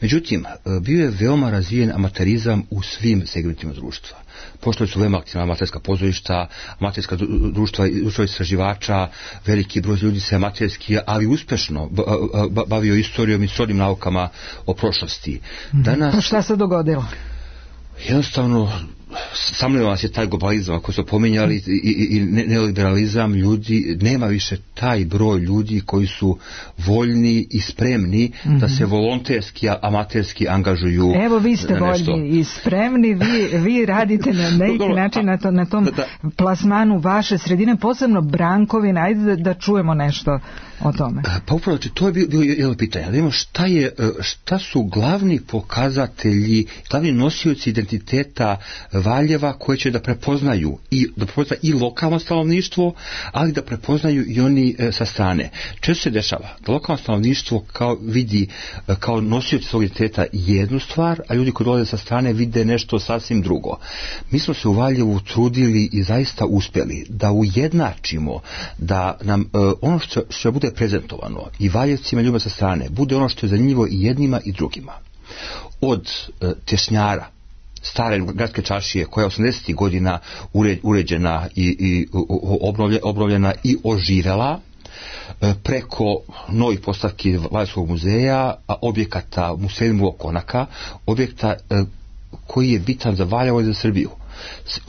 Međutim, bio je veoma razvijen amaterizam u svim segmentima društva. Pošto su veoma aktivna amaterska pozorišta, amaterska društva, društva istraživača, veliki broj ljudi se amaterski, ali uspešno bavio istorijom i srodnim naukama o prošlosti. Danas, pa šta se dogodilo? Jednostavno, samljivo nas je taj globalizam koji su pominjali i, i, i neoliberalizam, ljudi, nema više taj broj ljudi koji su voljni i spremni mm-hmm. da se volonterski, amaterski angažuju. Evo vi ste voljni i spremni, vi, vi radite na neki način na, to, na tom da, da. plasmanu vaše sredine, posebno Brankovina, ajde da, da čujemo nešto o tome. Pa upravo, to je bilo, bilo jedno pitanje, da vidimo šta, je, šta su glavni pokazatelji, glavni nosioci identiteta Valjeva koje će da prepoznaju i da prepoznaju i lokalno stanovništvo, ali da prepoznaju i oni e, sa strane. Često se dešava da lokalno stanovništvo kao vidi e, kao nosioci svog identiteta jednu stvar, a ljudi koji dolaze sa strane vide nešto sasvim drugo. Mi smo se u Valjevu trudili i zaista uspjeli da ujednačimo, da nam e, ono što, što bude prezentovano i Valjevcima ljubima sa strane bude ono što je zanimljivo i jednima i drugima. Od e, tešnjara, stare gradske čaršije koja je osamdesetih godina uređena i, i obnovljena i oživela, preko novih postavki Valjevskog muzeja, objekata Musejmu Konaka, objekta koji je bitan za Valjevo i za Srbiju.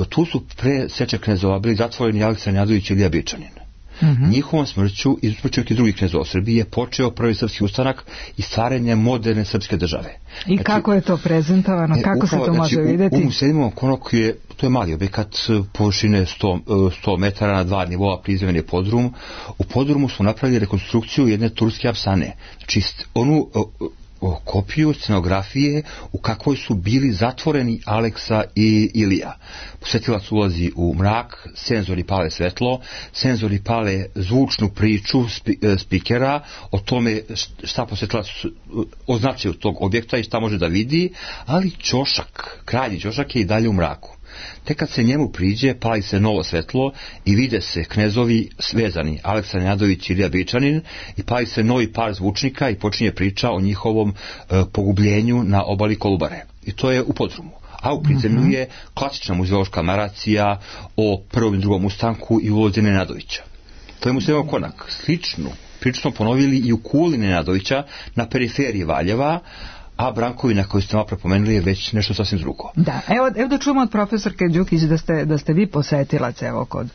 Tu su pre Seče knezova bili zatvoreni Aleksandar Njadović i Ilija Bičanin. Mm-hmm. Njihovom smrću i smrću i drugih knezova Srbije počeo prvi srpski ustanak i stvaranje moderne srpske države. I znači, kako je to prezentovano? Kako upravo, se to može znači, vidjeti? U, u Musejmovom Konaku je, to je mali objekat površine sto, sto metara na dva nivoa, prizemljen je podrum. U podrumu smo napravili rekonstrukciju jedne turske apsane. Znači onu o kopiju scenografije u kakvoj su bili zatvoreni Aleksa i Ilija. Posjetilac ulazi u mrak, senzori pale svetlo, senzori pale zvučnu priču spikera o tome šta posjetilac označuje tog objekta i šta može da vidi, ali ćošak, krajnji ćošak je i dalje u mraku. Tek kad se njemu priđe, pali se novo svetlo i vide se knezovi svezani, Aleksandar Njadović i Ilija Bičanin, i pali se novi par zvučnika i počinje priča o njihovom e, pogubljenju na obali Kolubare. I to je u podrumu. A u prizemlju mm-hmm. je klasična muzeološka naracija o prvom i drugom ustanku i ulozi Nenadovića. To je Musejmov Konak. Sličnu priču smo ponovili i u kuli Nenadovića na periferiji Valjeva, a Brankovina koju ste malo prepomenuli je već nešto sasvim drugo. Da, evo, evo da čujemo od profesorke Đukić da ste, da ste vi posetilac evo kod,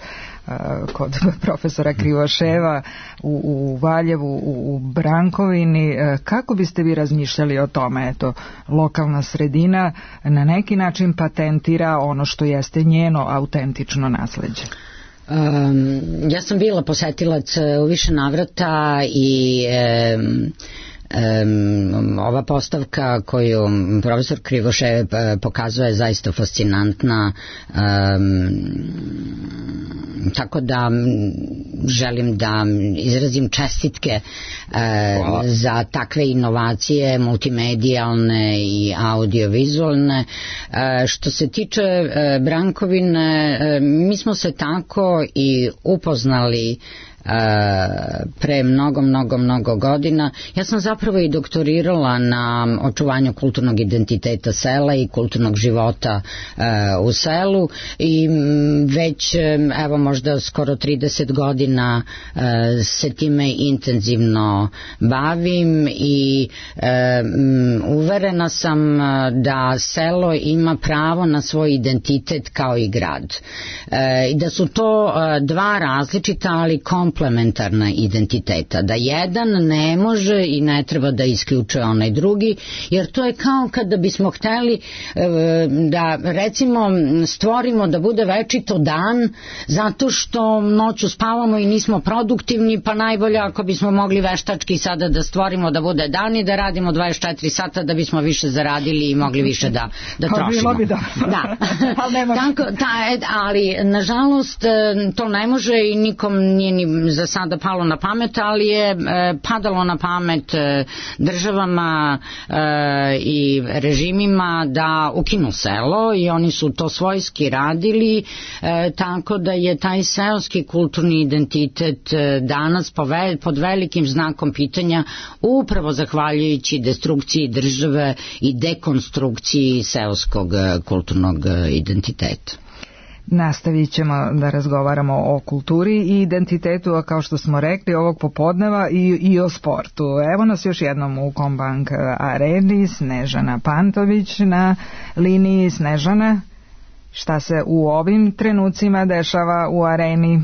uh, kod profesora Krivoševa u, u Valjevu, u, u Brankovini. Uh, kako biste vi razmišljali o tome? Eto, lokalna sredina na neki način patentira ono što jeste njeno autentično nasleđe. Um, ja sam bila posetilac u više navrata i um, Um, ova postavka koju profesor Krivošev pokazuje je zaista fascinantna, um, tako da želim da izrazim čestitke uh, za takve inovacije multimedijalne i audiovizualne. Uh, što se tiče uh, Brankovine, uh, mi smo se tako i upoznali pre mnogo, mnogo, mnogo godina. Ja sam zapravo i doktorirala na očuvanju kulturnog identiteta sela i kulturnog života u selu i već evo možda skoro trideset godina se time intenzivno bavim i uverena sam da selo ima pravo na svoj identitet kao i grad. I da su to dva različita, ali komplementarna identiteta. Da jedan ne može i ne treba da isključuje onaj drugi, jer to je kao kada bismo hteli da recimo stvorimo da bude večito dan zato što noću spavamo i nismo produktivni, pa najbolje ako bismo mogli veštački sada da stvorimo da bude dan i da radimo dvadeset četiri sata da bismo više zaradili i mogli više da, da trošimo. Bi da. Da. Tako, ta, ali nažalost to ne može i nikom nije ni za sada palo na pamet, ali je padalo na pamet državama i režimima da ukinu selo i oni su to svojski radili, tako da je taj seoski kulturni identitet danas pod velikim znakom pitanja upravo zahvaljujući destrukciji države i dekonstrukciji seoskog kulturnog identiteta. Nastavit ćemo da razgovaramo o kulturi i identitetu, a kao što smo rekli ovog popodneva i, i o sportu. Evo nas još jednom u Kombank areni, Snežana Pantović na liniji. Snežana, šta se u ovim trenucima dešava u areni?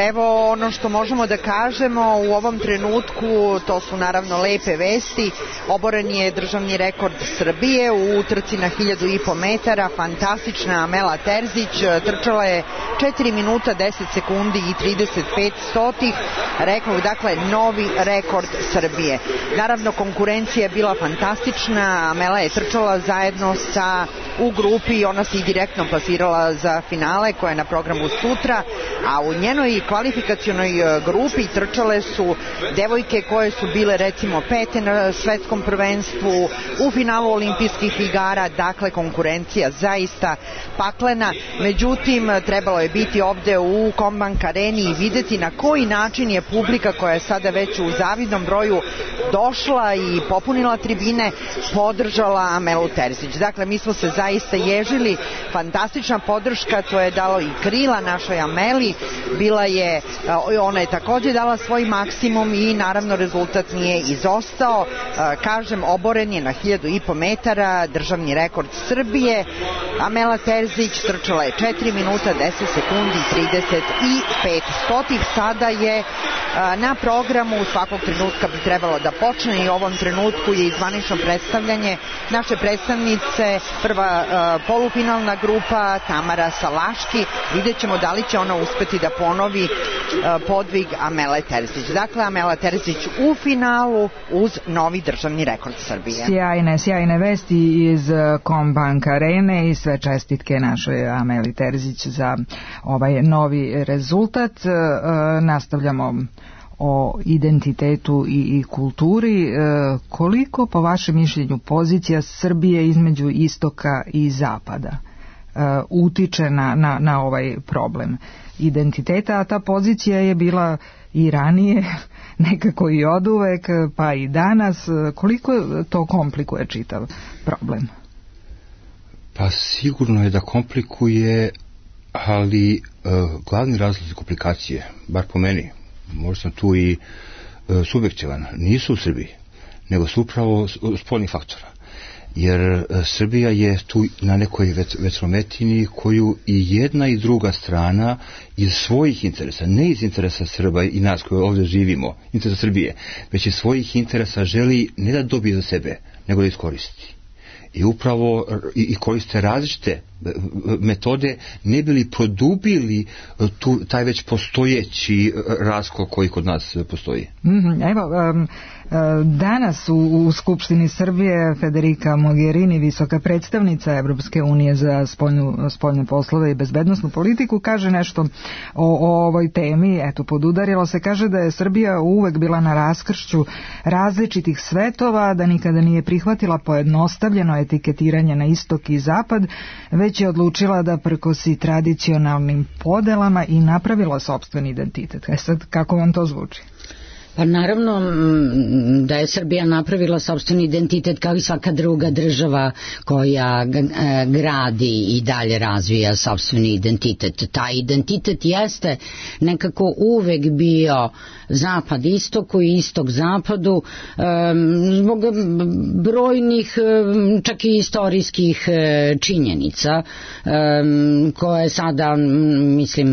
Evo ono što možemo da kažemo u ovom trenutku, to su naravno lepe vesti. Oboren je državni rekord Srbije u utrci na hiljadu i po metara. Fantastična Amela Terzić trčala je četiri minuta deset sekundi i trideset pet stotih. Rekao, dakle, novi rekord Srbije. Naravno, konkurencija je bila fantastična. Amela je trčala zajedno sa u grupi, ona se i direktno plasirala za finale koja je na programu sutra, a u njenoj kvalifikacionoj grupi trčale su devojke koje su bile recimo pete na svetskom prvenstvu, u finalu olimpijskih igara, dakle konkurencija zaista paklena. Međutim, trebalo je biti ovde u Kombank areni i videti na koji način je publika koja je sada već u zavidnom broju došla i popunila tribine, podržala Amelu Terzić. Dakle, mi smo se zaista ježili, fantastična podrška, to je dalo i krila našoj Ameli, bila je, ona je takođe dala svoj maksimum i naravno rezultat nije izostao. Kažem, oboren je na hiljadu i po metara, državni rekord Srbije. Amela Terzić trčala je četiri minuta deset sekundi i trideset pet stotih. Sada je na programu, svakog trenutka bi trebalo da počne i u ovom trenutku je zvanično predstavljanje naše predstavnice, prva polufinalna grupa Tamara Salaški. Vidjet ćemo da li će ona uspeti da ponovi podvig Amele Terzić. Dakle, Amela Terzić u finalu uz novi državni rekord Srbije. Sjajne, sjajne vesti iz Kombank arene i sve čestitke našoj Ameli Terzić za ovaj novi rezultat. Nastavljamo o identitetu i, i kulturi. E, koliko po vašem mišljenju pozicija Srbije između istoka i zapada e, utiče na, na, na ovaj problem identiteta, a ta pozicija je bila i ranije, nekako i oduvek, pa i danas. Koliko to komplikuje čitav problem? Pa sigurno je da komplikuje, ali e, glavni razlog komplikacije, bar po meni, možda sam tu i e, subjektivan, nisu u Srbiji, nego su upravo spoljnih faktora. Jer e, Srbija je tu na nekoj vetrometini koju i jedna i druga strana iz svojih interesa, ne iz interesa Srba i nas koji ovdje živimo, interesa Srbije, već iz svojih interesa želi ne da dobije za sebe, nego da iskoristi. I upravo i koriste različite metode ne bili produbili tu, taj već postojeći raskol koji kod nas postoji. Mm-hmm. Evo, um, danas u, u Skupštini Srbije Federica Mogherini, visoka predstavnica Evropske unije za spoljnu, spoljne poslove i bezbednosnu politiku, kaže nešto o, o ovoj temi. Eto, podudarilo se, kaže da je Srbija uvek bila na raskršću različitih svetova, da nikada nije prihvatila pojednostavljeno etiketiranje na istok i zapad, već već je odlučila da prkosi tradicionalnim podelama i napravila sopstveni identitet. E sad, kako vam to zvuči? Pa naravno da je Srbija napravila sopstveni identitet kao i svaka druga država koja gradi i dalje razvija sopstveni identitet. Taj identitet jeste nekako uvek bio zapad istoku i istok zapadu zbog brojnih čak i istorijskih činjenica koje sada mislim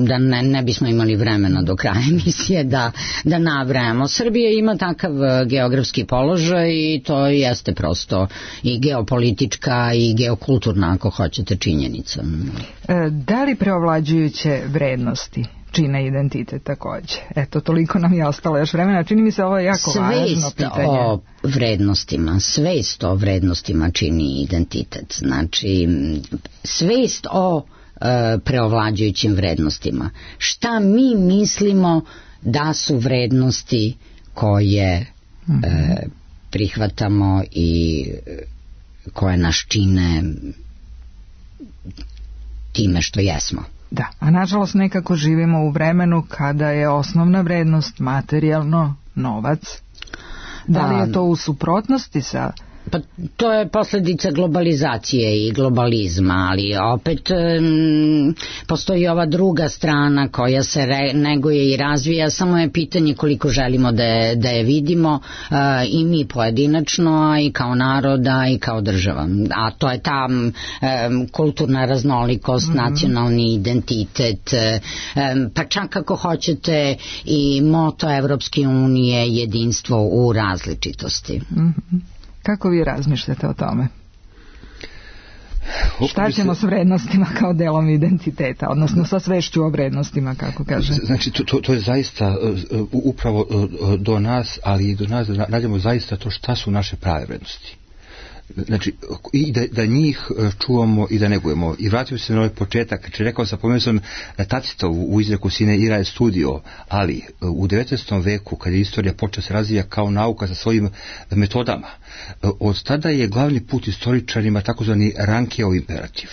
da ne, ne bismo imali vremena do kraja emisije da, da nabrajamo. Srbija ima takav geografski položaj i to jeste prosto i geopolitička i geokulturna, ako hoćete, činjenica. Da li preovlađujuće vrednosti čine identitet takođe? Eto, toliko nam je ostalo još vremena. Čini mi se ovo je jako svest važno pitanje. Svest o vrednostima, svest o vrednostima čini identitet. Znači, svest o e, preovlađujućim vrednostima. Šta mi mislimo da su vrednosti koje mm-hmm. e, prihvatamo i koje nas čine time što jesmo. Da, a nažalost nekako živimo u vremenu kada je osnovna vrednost materijalno novac. Da li je to u suprotnosti sa... Pa to je posljedica globalizacije i globalizma, ali opet um, postoji ova druga strana koja se re, neguje i razvija, samo je pitanje koliko želimo da je, da je vidimo uh, i mi pojedinačno, a i kao naroda i kao država. A to je ta um, kulturna raznolikost, mm-hmm. nacionalni identitet, um, pa čak ako hoćete i moto Evropske unije, jedinstvo u različitosti. Mm-hmm. Kako vi razmišljate o tome? Šta ćemo s vrednostima kao delom identiteta, odnosno sa svešću o vrednostima, kako kaže? Znači, to, to, to je zaista uh, upravo uh, do nas, ali i do nas da nađemo zaista to šta su naše prave vrednosti. Znači, i da, da njih čuvamo i da negujemo. I vratimo se na ovaj početak. Znači, rekao sam, pomenuo sam Tacitovu u izreku Sine ira je studio, ali u devetnaestom veku, kad je istorija počela se razvija kao nauka sa svojim metodama, od tada je glavni put istoričarima takozvani Rankeov imperativ,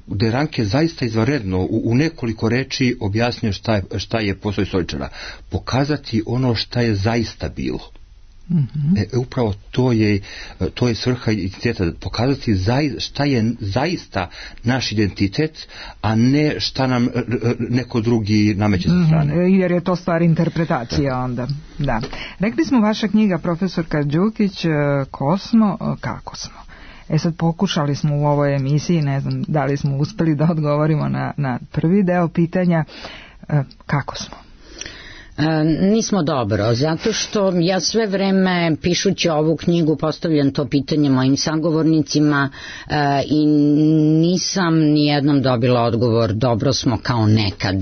gde Ranke zaista izvanredno u, u nekoliko reči objasnio šta je, šta je posao istoričara. Pokazati ono šta je zaista bilo. Mm-hmm. E, upravo to je, to je svrha identiteta, pokazati zaj, šta je zaista naš identitet, a ne šta nam neko drugi nameće sa strane. Mm-hmm. Jer je to stvar interpretacije da. Onda. Da. Rekli smo, vaša knjiga, profesorka Đukić, ko smo, kako smo. E sad, pokušali smo u ovoj emisiji, ne znam da li smo uspeli da odgovorimo na, na prvi deo pitanja, kako smo. E, nismo dobro, zato što ja sve vreme pišući ovu knjigu postavljam to pitanje mojim sagovornicima e, i nisam nijednom dobila odgovor dobro smo kao nekad.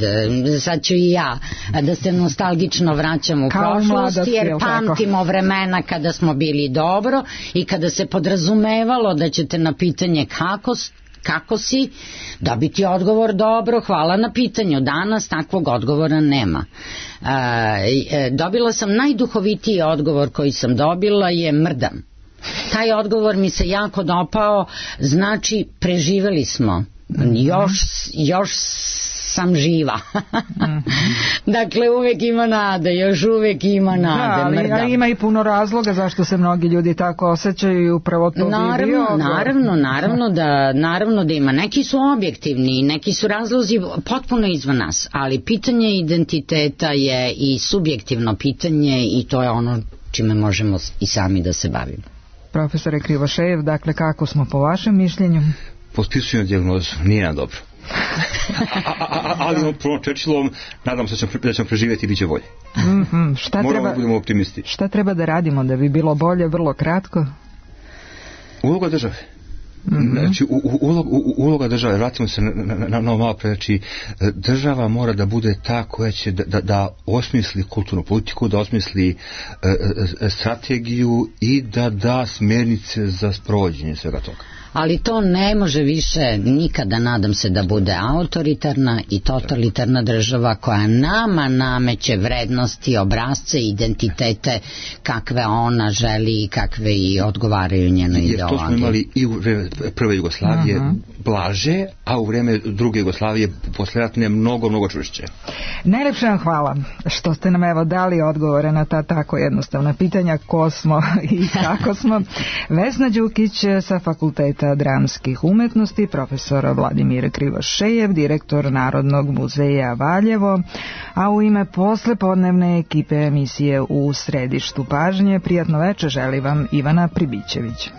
Sad ću i ja da se nostalgično vraćam u kao prošlost, jer pamtimo vremena kada smo bili dobro i kada se podrazumevalo da ćete na pitanje kako kako si, dobiti odgovor dobro, hvala na pitanju. Danas takvog odgovora nema. E, dobila sam najduhovitiji odgovor koji sam dobila je mrdam. Taj odgovor mi se jako dopao, znači preživeli smo. Još, još sam živa. Dakle, uvek ima nade, još uvek ima nade. Da, ali ima i puno razloga zašto se mnogi ljudi tako osjećaju i upravo to naravno, bi bio. Naravno, naravno da, naravno da ima. Neki su objektivni, neki su razlozi potpuno izvan nas, ali pitanje identiteta je i subjektivno pitanje i to je ono čime možemo i sami da se bavimo. Profesore Krivošejev, dakle, kako smo po vašem mišljenju? Potpisujem dijagnozu, nije nam dobro. a, a, a, ali on prvom Churchillom nadam se da ćemo, da ćemo preživjeti i bit će bolje. Mm-hmm. Šta moramo treba, da budemo optimisti. Šta treba da radimo da bi bilo bolje, vrlo kratko? Uloga države. Mm-hmm. Znači, u, u, uloga, u, uloga države, vratimo se na, na, na, na malo pre, znači, država mora da bude ta koja će da, da, da osmisli kulturnu politiku, da osmisli e, e, strategiju i da da smjernice za sprovođenje svega toga. ali to ne može više nikada, nadam se, da bude autoritarna i totalitarna država koja nama nameće vrednosti, obrazce, identitete kakve ona želi i kakve i odgovaraju njenoj ideologiji. Jer to smo imali i u vreme prve Jugoslavije uh-huh. blaže, a u vreme druge Jugoslavije posleratne mnogo, mnogo čvršće. Najlepše vam hvala što ste nam evo dali odgovore na ta tako jednostavna pitanja ko smo i kako smo. Vesna Đukić sa Fakulteta dramskih umetnosti, profesor Vladimir Krivošejev, direktor Narodnog muzeja Valjevo, a u ime poslepodnevne ekipe emisije U središtu pažnje, prijatno veče želi vam Ivana Pribićević.